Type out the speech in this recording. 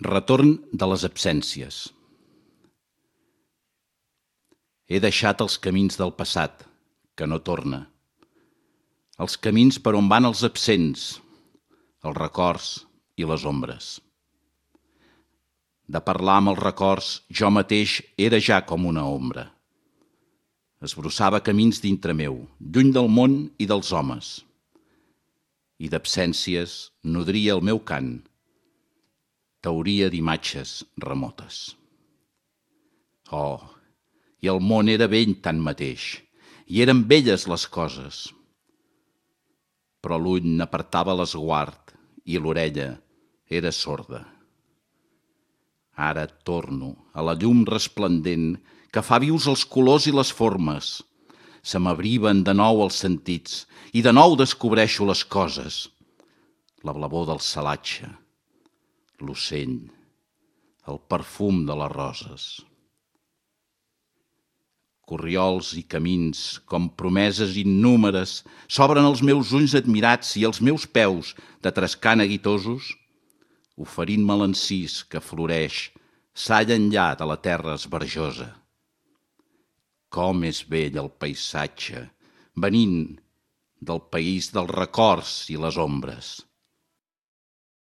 Retorn de les absències. He deixat els camins del passat, que no torna. Els camins per on van els absents, els records i les ombres. De parlar amb els records, jo mateix era ja com una ombra. Esbrossava camins dintre meu, lluny del món i dels homes. I d'absències nodria el meu cant, teoria d'imatges remotes. Oh, i el món era vell tanmateix, i eren velles les coses. Però l'ull n'apartava l'esguard i l'orella era sorda. Ara torno a la llum resplendent que fa vius els colors i les formes. Se m'abriven de nou els sentits i de nou descobreixo les coses. La blavor del salatge, l'ocell, el perfum de les roses. Corriols i camins, com promeses innúmeres, s'obren als meus ulls admirats i els meus peus, de trescar neguitosos, oferint-me l'encís que floreix s'alla enllà de la terra esbarjosa. Com és bell el paisatge, venint del país dels records i les ombres.